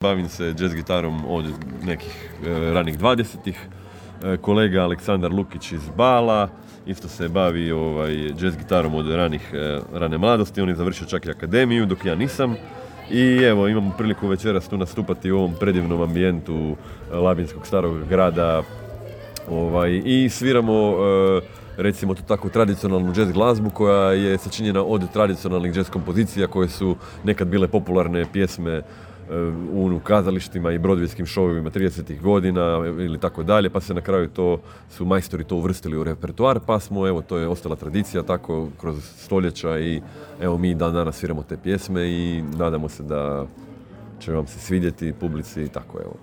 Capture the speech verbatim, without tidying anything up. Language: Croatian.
Bavim se jazz gitarom od nekih e, ranih dvadesetih. E, kolega Aleksandar Lukić iz Bala isto se bavi ovaj, jazz gitarom od ranih, e, rane mladosti. On je završio čak i akademiju, dok ja nisam. I evo, imamo priliku večeras tu nastupati u ovom predivnom ambijentu Labinskog starog grada. Ovaj, I sviramo, e, recimo to tako, tradicionalnu jazz glazbu koja je sačinjena od tradicionalnih jazz kompozicija koje su nekad bile popularne pjesme u kazalištima i brodvijskim šovovima tridesetih godina ili tako dalje, pa se na kraju to su majstori to uvrstili u repertoar, pa smo, evo, to je ostala tradicija tako kroz stoljeća i evo mi dan danas sviramo te pjesme i nadamo se da će vam se svidjeti publici i tako, evo.